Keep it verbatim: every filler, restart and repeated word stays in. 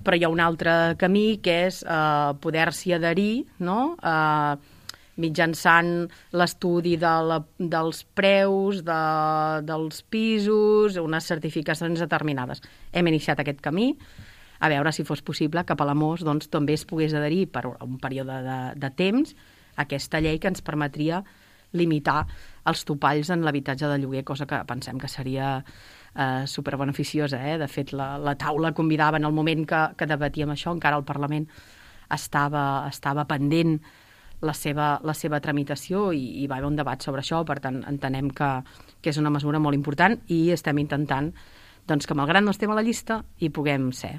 però hi ha un altre camí que és eh, poder-s'hi adherir, no?, eh, mitjançant l'estudi de la, dels preus, de, dels pisos, unes certificacions determinades. Hem iniciat aquest camí, a veure si fos possible que Palamós doncs, també es pogués adherir per un període de, de temps a aquesta llei que ens permetria limitar els topalls en l'habitatge de lloguer, cosa que pensem que seria eh, superbeneficiosa. Eh? De fet, la, la taula convidava en el moment que, que debatíem això, encara el Parlament estava, estava pendent la seva, la seva tramitació i, i va haver un debat sobre això, per tant entenem que, que és una mesura molt important i estem intentant doncs, que malgrat no estem a la llista hi puguem ser.